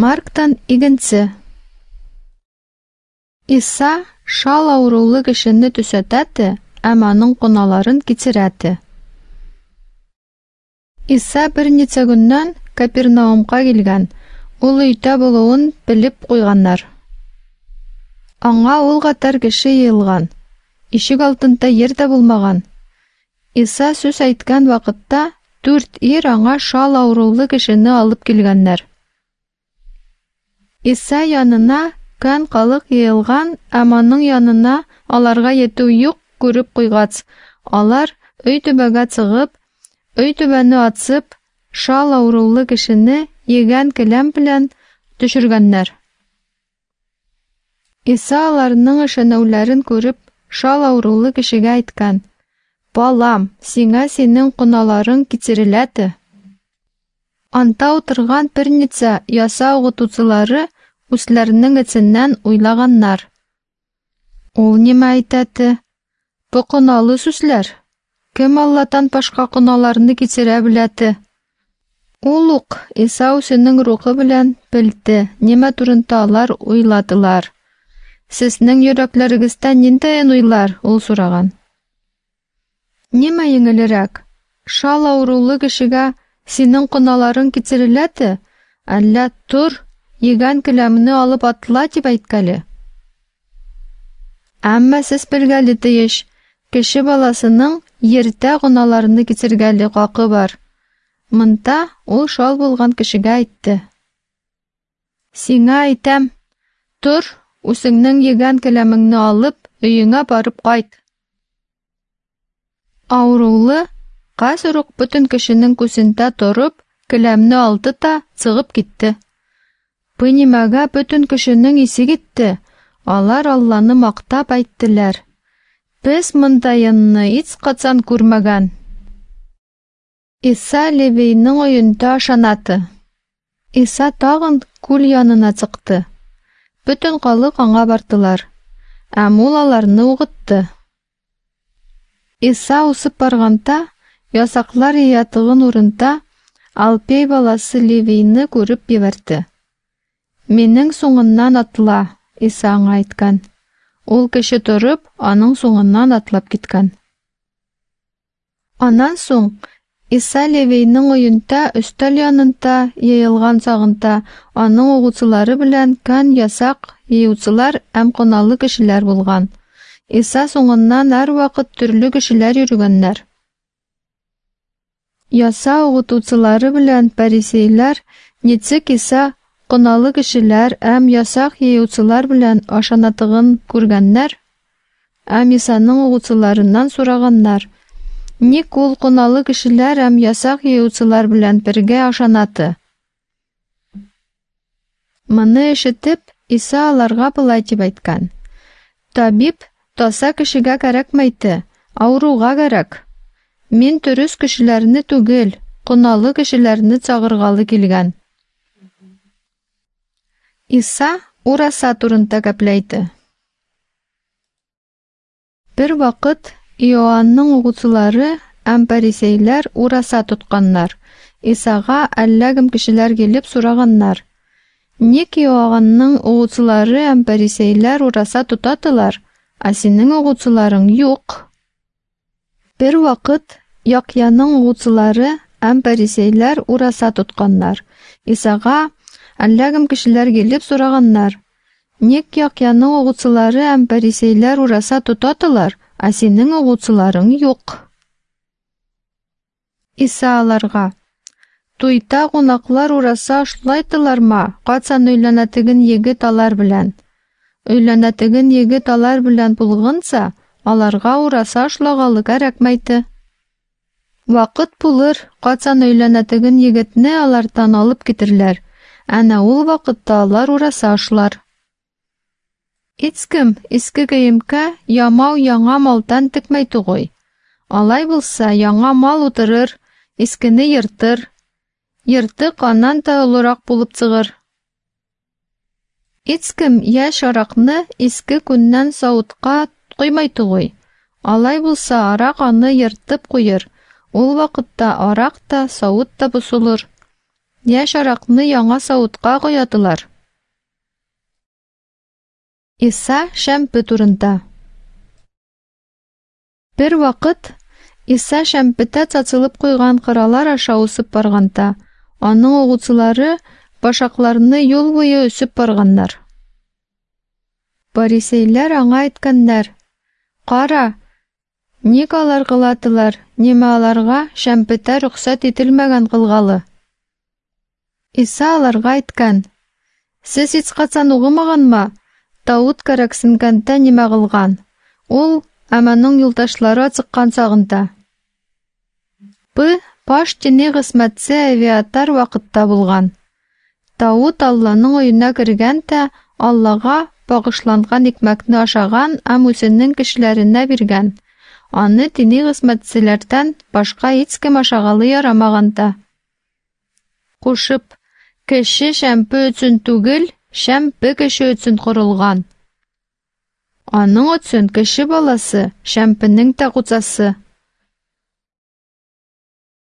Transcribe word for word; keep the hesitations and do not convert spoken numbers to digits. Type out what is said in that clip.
Марктан игенче. Иса шал авырулы кешене төсәтәте һәм аның коналарын кичерәте. Иса берничә көннән Капернаумка килгән. Ул өйдә булуын белеп куйганнар. Аңа ул кадәр кеше йыелган. Ишек алдында ер дә булмаган. Иса сүз әйткән вакытта дүрт ир аңа шал авырулы кешене алып килгәннәр. Иса янына көн халык йыелган, һәм аның янына аларга йетү юк күреп куйгач, алар өй түбәгә чыгып, өй түбәне ачып, шал авырулы кешене егән келәм белән төшергәннәр. Иса аларның ышануларын күреп, шал авырулы кешегә әйткән: "Балам, сиңа синең коналарың кичереләте." Анда утырган берничә яса укытучылары үзләренең эченнән уйлаганнар: "Ул нимә әйтәте? Бу коналы сүзләр. Кем Аллаһтан башка коналарны кичерә беләте?" Ул ук Иса үзенең рухы белән белде, нимә турында алар уйладылар. "Сезнең йөрәкләрегездә ниндәен уйлар?" ул сораган. Нимә еңелерәк? Шал авырулы кешегә синең коналарың кичереләте, әллә тор, егән келәмне алып атла дип әйткәле? Әмма сез белгәле тиеш, кеше баласының ердә гөнаһларны кичергәле хакы бар. Монда ул шал булган кешегә әйтте: "Сиңа әйтәм, тор, үзеңнең егән келәмеңне алып, өеңә барып кайт." Авырулы хәзер үк бөтен кешенең күзендә торып, келәмне алды да чыгып китте. Бу нимәгә бөтен кешенең исе китте. Алар Алланы мактап әйттеләр: "Без мондайынны һич качан күрмәгән." Иса Левийның өендә ашанаты. Иса тагын күл янына чыкты. Бөтен халык аңа бардылар. Һәм ул аларны укытты. Иса усып барганда, ясаклар йыятыгын урында Алпей баласы Левийны күреп җибәрде. "Минең соңыннан атла", Иса аңа әйткән. Ул кеше торып, аның соңыннан атлап киткән. Аннан соң Иса Левийның өендә өстәл янында йыелган чагында аның укучылары белән көн ясак йыючылар һәм коналы кешеләр булган. Иса соңыннан һәрвакыт төрле кешеләр йөргәннәр. Яса укытучылары белән фарисейлар ничек Иса коналы кешеләр һәм ясак йыючылар белән ашанатыгын күргәннәр, һәм Исаның укучыларыннан сораганнар: "Ник ул коналы кешеләр һәм ясак йыючылар белән бергә ашанаты?" Моны ишетеп, Иса аларга болай дип әйткән: "Табиб таза кешегә кәрәкмәйте, авыруга кәрәк. Мин дөрес кешеләрне түгел, коналы кешеләрне чагыргалы килгән." Иса ураса турында гәпләйде. Бер вакыт Иоанның укучылары һәм фарисейлар ураса тотканнар. Исага әллә кем кешеләр килеп сораганнар: "Ник Иоанның укучылары һәм фарисейлар ураса тотатылар, ә синең укучыларың юк?" Бер вакыт Яхъяның укучылары һәм фарисейлар ураса тотканнар. Исага әллә кем кешеләр килеп сораганнар: "Ник Яхъяның укучылары һәм фарисейлар ураса тотатылар, ә синең укучыларың юк?" Иса аларга: "Туйда кунаклар ураса ашлайтыларма, качан өйләнәтеген егет алар белән? Өйләнәтеген егет алар белән булганча, аларга ураса ашлагалы кәрәкмәйте. Вакыт булыр, качан өйләнәтеген егетне алардан алып китерләр. Әнә ул вакытта алар ураса ашлар. Һич кем иске киемгә ямау яңа малдан текмәй түгел. Алай булса, яңа мал утырыр, искене ертыр. Ертык аннан да олырак булып чыгыр. Һич кем яшь аракны иске күннән савытка коймай түгел. Алай булса, арак аны ертып куер. Ул вакытта арак та, савыт та бозылыр. Яшь аракны яңа савытка коятылар. Иса шәмпе турында. Бер вакыт Иса шәмпетә цацылып куйган кыралар аша узып барганда, аның угучылары башакларны юл буе өсеп барганнар. Фарисейләр аңа әйткәннәр: "Кара, ник алар кылатылар, нимә аларга шәмпетә рөхсәт ителмәгән кылгалы?" Иса аларга әйткән: "Сез һичкайчан угымаганмы, Давыт кәрәксенгәндә нимә кылган? Ул һәм аның юлдашлары ачыккан чагында. Бу баш дини хезмәтче Авиатар вакытта булган. Давыт Алланың өенә кергән дә Аллага багышланган икмәкне ашаган һәм үзенең кешеләренә биргән. Аны дини хезмәтчеләрдән башка һичкем ашагалы ярамаган да. Кушып, кеше шәмпе өчен түгел, шәмпе кеше өчен корылган. Аның өчен кеше баласы шәмпенең дә хуҗасы.